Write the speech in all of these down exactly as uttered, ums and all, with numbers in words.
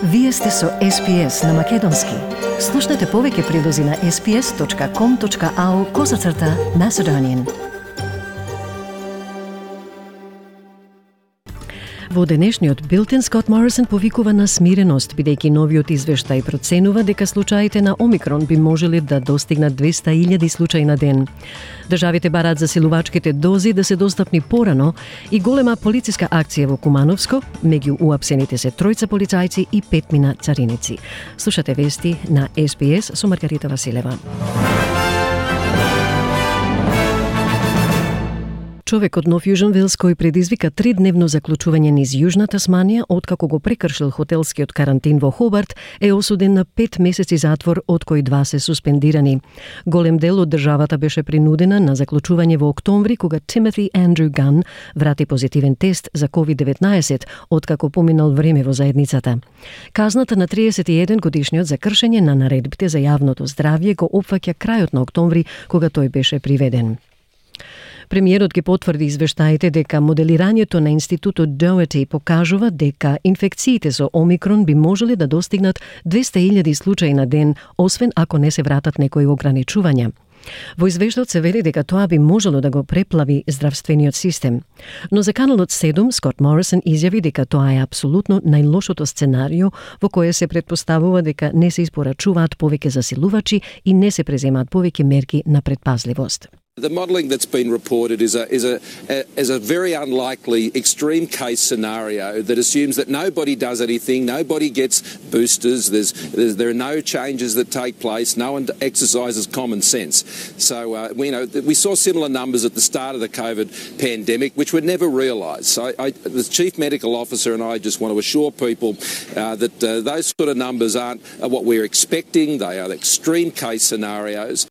Вие сте со Ес Пи Ес на Македонски. Слушнете повеќе прилози на ес пи ес точка ком точка ау козацрта Macedonian. Во денешниот билтен Скот Морисон повикува на смиреност, бидејќи новиот извештај проценува дека случаите на Омикрон би можеле да достигнат двеста илјади случаи на ден. Државите бараат засилувачките дози да се достапни порано и голема полициска акција во Кумановско, меѓу уапсените се тројца полицајци и петмина цариници. Слушате вести на Ес Пи Ес со Маргарита Василева. Човек од Нов Јужен Велс кој предизвика тридневно заклучување низ Јужна Тасманија откако го прекршил хотелскиот карантин во Хобарт е осуден на пет месеци затвор, од кои два се суспендирани. Голем дел од државата беше принудена на заклучување во октомври кога Тимоти Андрю Ган врати позитивен тест за ковид деветнаесет откако поминал време во заедницата. Казната на триесет и еден годишниот за кршење на наредбите за јавното здравје го опфаќа крајот на октомври кога тој беше приведен. Премиерот ги потврди извештаите дека моделирањето на институтот Doherty покажува дека инфекциите со Омикрон би можеле да достигнат двеста илјади случаи на ден, освен ако не се вратат некои ограничувања. Во извештајот се вели дека тоа би можело да го преплави здравствениот систем. Но за каналот седум Скот Морисон изјави дека тоа е апсолутно најлошото сценарио во кое се предпоставува дека не се испорачуваат повеќе засилувачи и не се преземаат повеќе мерки на предпазливост. The modelling that's been reported is a, is, a, a, is a very unlikely extreme case scenario that assumes that nobody does anything, nobody gets boosters, there's, there's, there are no changes that take place, no one exercises common sense. So, uh, we, you know, we saw similar numbers at the start of the COVID pandemic, which were never realised. So I, the Chief Medical Officer and I just want to assure people uh, that uh, those sort of numbers aren't what we're expecting, they are extreme case scenarios.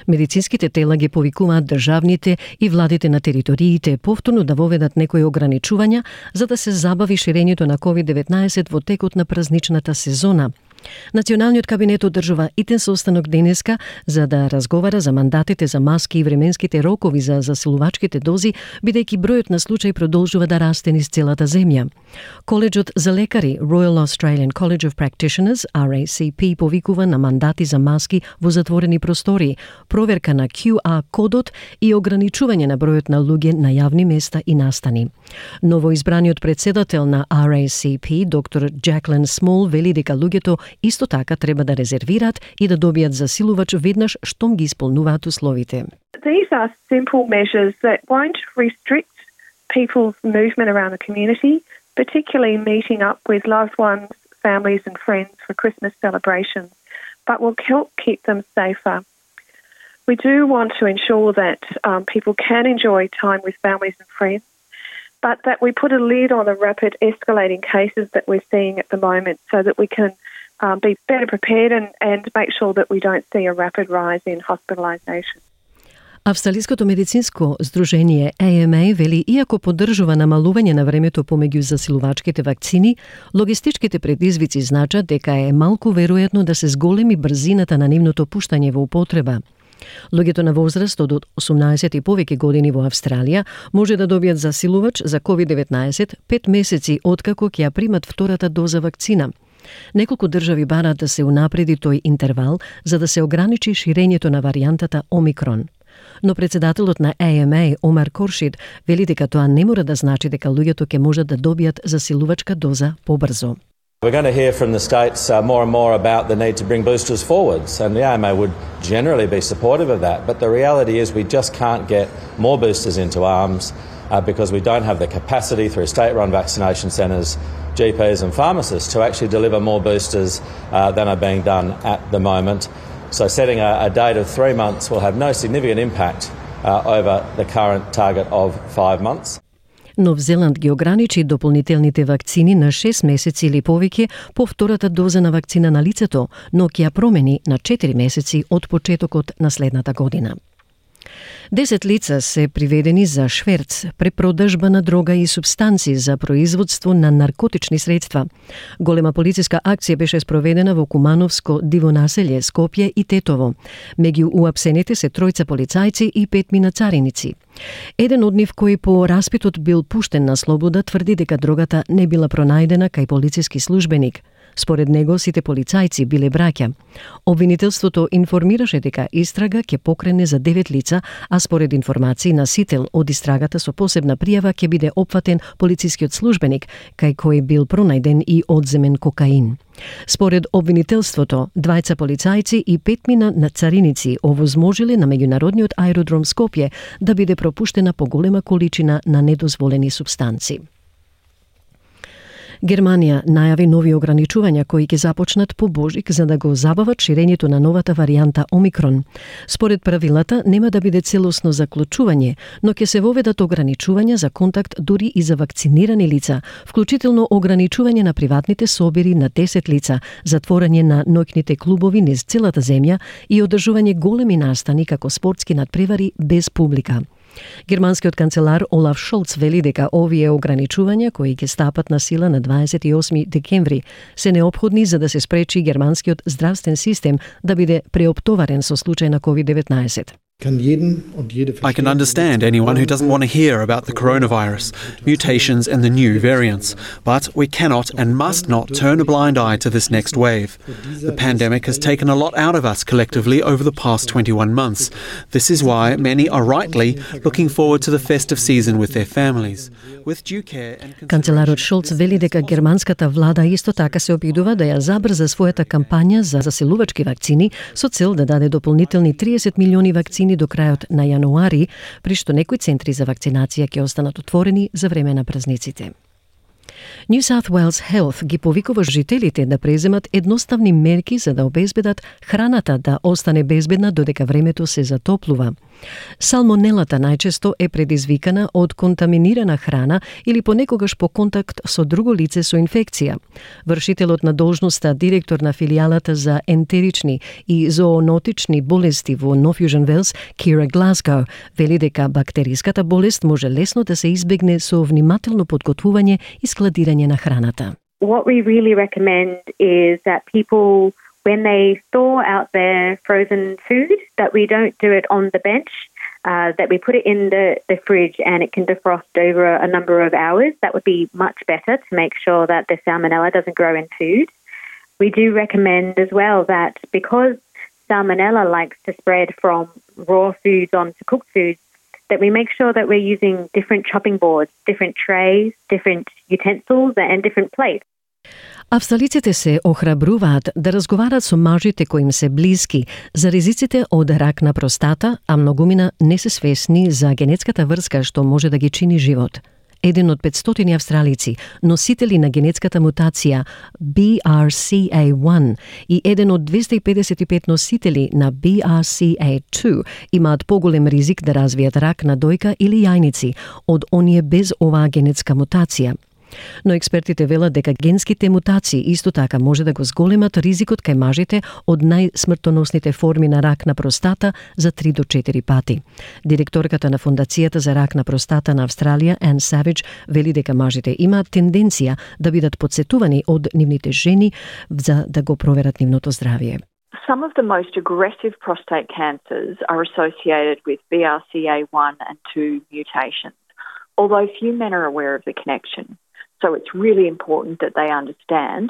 Медицинските тела ги повикуваат државните и владите на териториите повторно да воведат некои ограничувања за да се забави ширењето на ковид деветнаесет во текот на празничната сезона. Националниот кабинет одржува итен состанок денеска за да разговара за мандатите за маски и временските рокови за засилувачките дози, бидејќи бројот на случаи продолжува да расте низ целата земја. Коледжот за лекари Royal Australian College of Practitioners Ар Ей Си Пи повикува на мандати за маски во затворени простори, проверка на Q R кодот и ограничување на бројот на луѓе на јавни места и настани. Новоизбраниот председател на Ар Ей Си Пи, доктор Джаклин Смол, вели дека луѓето исто така треба да резервираат и да добијат засилувач веднаш штом ги исполнуваат условите. These are simple measures that won't restrict people's movement around the community, particularly meeting up with loved ones, families and friends for Christmas celebrations, but will help keep them safer. We do want to ensure that um, people can enjoy time with families and friends, but that we put a lid on the rapid escalating cases that we're seeing at the moment so that we can um, be better prepared and, and make sure that we don't see a rapid rise in hospitalisation. Австралиското медицинско здружение Ей Ем Ей вели иако поддржува намалување на времето помеѓу засилувачките вакцини, логистичките предизвици значат дека е малку веројатно да се зголеми брзината на нивното пуштање во употреба. Луѓето на возраст од осумнаесет и повеќе години во Австралија може да добијат засилувач за ковид деветнаесет пет месеци откако ќе ја примат втората доза вакцина. Неколку држави бараат да се унапреди тој интервал за да се ограничи ширењето на варијантата Омикрон. Но председателот на Ей Ем Ей, Омар Коршид, вели дека тоа не мора да значи дека луѓето ќе можат да добијат засилувачка доза побрзо. We're going to hear from the states uh, more and more about the need to bring boosters forwards, and the A M A would generally be supportive of that, but the reality is we just can't get more boosters into arms uh, because we don't have the capacity through state-run vaccination centres, G Ps and pharmacists to actually deliver more boosters uh, than are being done at the moment. So setting a, a date of three months will have no significant impact uh, over the current target of five months. Нов Зеланд ги ограничи дополнителните вакцини на шест месеци или повеќе по втората доза на вакцина на лицето, но ќе ја промени на четири месеци од почетокот на следната година. Десет лица се приведени за шверц, препродажба на дрога и супстанци за производство на наркотични средства. Голема полициска акција беше спроведена во Кумановско диво населје, Скопје и Тетово. Меѓу уапсените се тројца полицајци и петмина цариници. Еден од нив кој по распитот бил пуштен на слобода тврди дека дрогата не била пронајдена кај полициски службеник. Според него, сите полицајци биле браќа. Обвинителството информираше дека истрага ќе покрене за девет лица, а според информации на сител од истрагата со посебна пријава ќе биде опфатен полицискиот службеник, кај кој бил пронајден и одземен кокаин. Според обвинителството, двајца полицајци и петмина на цариници овозможиле на меѓународниот аеродром Скопје да биде пропуштена поголема количина на недозволени супстанци. Германија најави нови ограничувања кои ќе започнат по Божик за да го забават ширењето на новата варијанта Омикрон. Според правилата нема да биде целосно заклучување, но ќе се воведат ограничувања за контакт дури и за вакцинирани лица, вклучително ограничување на приватните собири на десет лица, затворање на ноќните клубови низ целата земја и одржување големи настани како спортски надпревари без публика. Германскиот канцелар Олаф Шолц вели дека овие ограничувања кои ќе стапат на сила на дваесет и осми декември се неопходни за да се спречи германскиот здравствен систем да биде преоптоварен со случај на ковид деветнаесет. I can understand anyone who doesn't want to hear about the coronavirus, mutations and the new variants, but we cannot and must not turn a blind eye to this next wave. The pandemic has taken a lot out of us collectively over the past twenty-one months. This is why many are rightly looking forward to the festive season with their families. With due care and Канцеларот Шолц вели дека германската влада исто така се обидува да ја забрза својата кампања за заселувачки вакцини со цел да даде дополнителни триесет милиони вакцини до крајот на јануари, при што некои центри за вакцинација ќе останат отворени за време на празниците. New South Wales Health ги повикува жителите да преземат едноставни мерки за да обезбедат храната да остане безбедна додека времето се затоплува. Салмонелата најчесто е предизвикана од контаминирана храна или понекогаш по контакт со друго лице со инфекција. Вршителот на должноста директор на филијалата за ентерични и зоонотични болести во North Fusion Wales, Kira Glasgow, вели дека бактериската болест може лесно да се избегне со внимателно подготвување и складирање на храната. What we really recommend is that people, when they thaw out their frozen food, that we don't do it on the bench, uh, that we put it in the, the fridge and it can defrost over a number of hours. That would be much better to make sure that the salmonella doesn't grow in food. We do recommend as well that because salmonella likes to spread from raw foods onto cooked foods, that we make sure that we're using different chopping boards, different trays, different utensils and different plates. Австралиците се охрабруваат да разговарат со мажите кои им се блиски за ризиците од рак на простата, а многумина не се свесни за генетската врска што може да ги чини живот. Еден од петстотини австралици, носители на генетската мутација B R C A one и еден од двеста и педесет и пет носители на B R C A two имаат поголем ризик да развијат рак на дојка или јајници од оние без оваа генетска мутација. Но експертите велат дека генските мутации исто така може да го зголемат ризикот кај мажите од најсмртоносните форми на рак на простата за три до четири пати. Директорката на Фондацијата за рак на простата на Австралија, Ann Savage, вели дека мажите имаат тенденција да бидат подсетувани од нивните жени за да го проверат нивното здравје. Some of the most aggressive prostate cancers are associated with B R C A one and two mutations, although few men are aware of the connection. So it's really important that they understand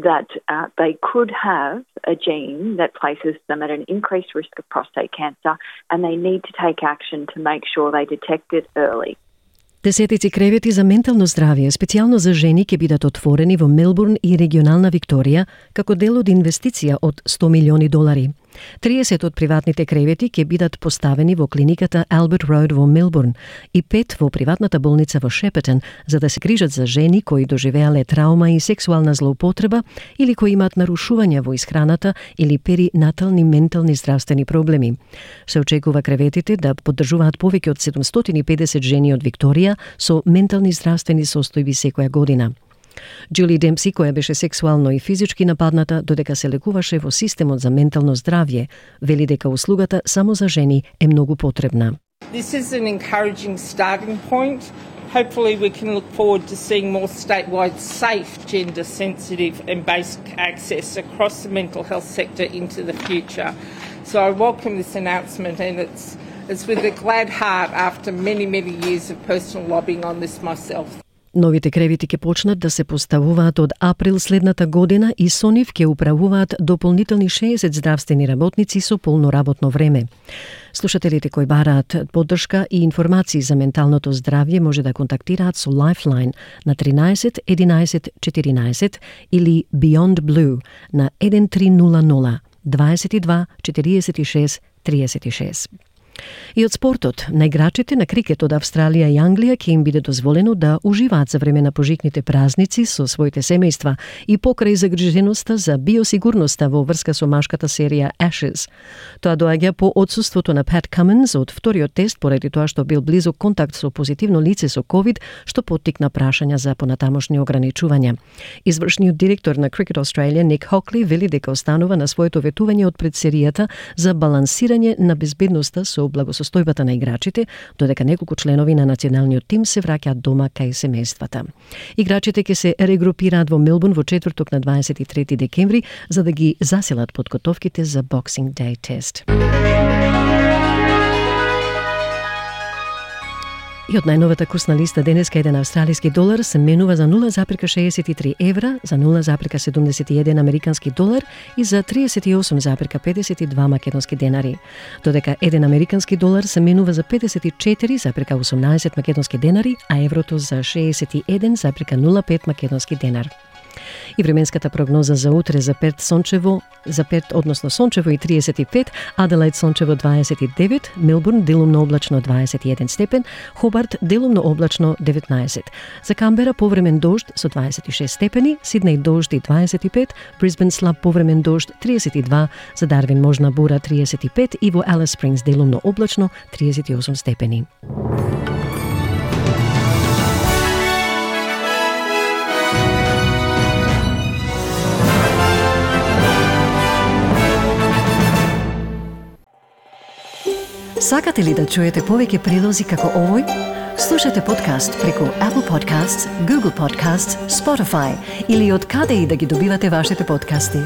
that uh, they could have a gene that places them at an increased risk of prostate cancer, and they need to take action to make sure they detect it early. Десетици кревети за ментално здравје, специјално за жени, ќе бидат отворени во Мелбурн и регионална Викторија како дел од инвестиција од сто милиони долари. триесет од приватните кревети ќе бидат поставени во клиниката Albert Road во Мелбурн и пет во приватната болница во Шепетон за да се грижат за жени кои доживеале траума и сексуална злоупотреба или кои имаат нарушувања во исхраната или перинатални ментални здравствени проблеми. Се очекува креветите да поддржуваат повеќе од седумстотини и педесет жени од Викторија со ментални здравствени состојби секоја година. Джули Демпси, која беше сексуално и физички нападната додека се лекуваше во системот за ментално здравје, вели дека услугата само за жени е многу потребна. This is an encouraging starting point. Hopefully we can look forward to seeing more statewide safe, gender sensitive and basic access across the mental health sector into the future. So I welcome this announcement, and it's it's with a glad heart after many, many years of personal lobbying on this myself. Новите кревити ќе почнат да се поставуваат од април следната година и со нив ќе управуваат дополнителни шеесет здравствени работници со полно работно време. Слушателите кои бараат поддршка и информации за менталното здравје може да контактираат со Lifeline на тринаесет единаесет четиринаесет или Beyond Blue на еден три нула нула дваесет и два четириесет и шест триесет и шест. И од спортот, на играчите на крикет од Австралија и Англија ќе им биде дозволено да уживаат за време на пожитните празници со своите семејства и покрај загриженоста за биосигурноста во врска со машката серија Ashes. Тоа доаѓа по отсуството на Pat Cummins од вториот тест поради тоа што бил близок контакт со позитивно лице со ковид, што поттикна прашања за понатамошни ограничувања. Извршниот директор на Cricket Australia Ник Хокли вели дека останува на своето ветување од пред серијата за балансирање на безбедноста со благосостојбата на играчите, додека неколку членови на националниот тим се враќаат дома кај семејствата. Играчите ќе се регрупираат во Мелбурн во четврток на дваесет и трети декември за да ги заселат подготовките за Boxing Day тест. И од најновата курсна листа денеска еден австралиски долар се менува за нула запирка шеесет и три евра, за нула запирка седумдесет и еден американски долар и за триесет и осум запирка педесет и два македонски денари. Додека еден американски долар се менува за педесет и четири запирка осумнаесет македонски денари, а еврото за шеесет и еден запирка нула пет македонски денар. И временската прогноза за утре за Перт сончево, за Перт односно сончево и триесет и пет, Аделаид сончево дваесет и девет, Мелбурн делумно облачно дваесет и еден степен, Хобарт делумно облачно деветнаесет. За Камбера повремен дожд со дваесет и шест степени, Сиднеј дожд и дваесет и пет, Брисбен слаб повремен дожд триесет и два, за Дарвин можна бура триесет и пет и во Алис Спрингс делумно облачно триесет и осум степени. Сакате ли да чуете повеќе прилози како овој? Слушате подкаст преку Apple Podcasts, Google Podcasts, Spotify или од каде и да ги добивате вашите подкасти.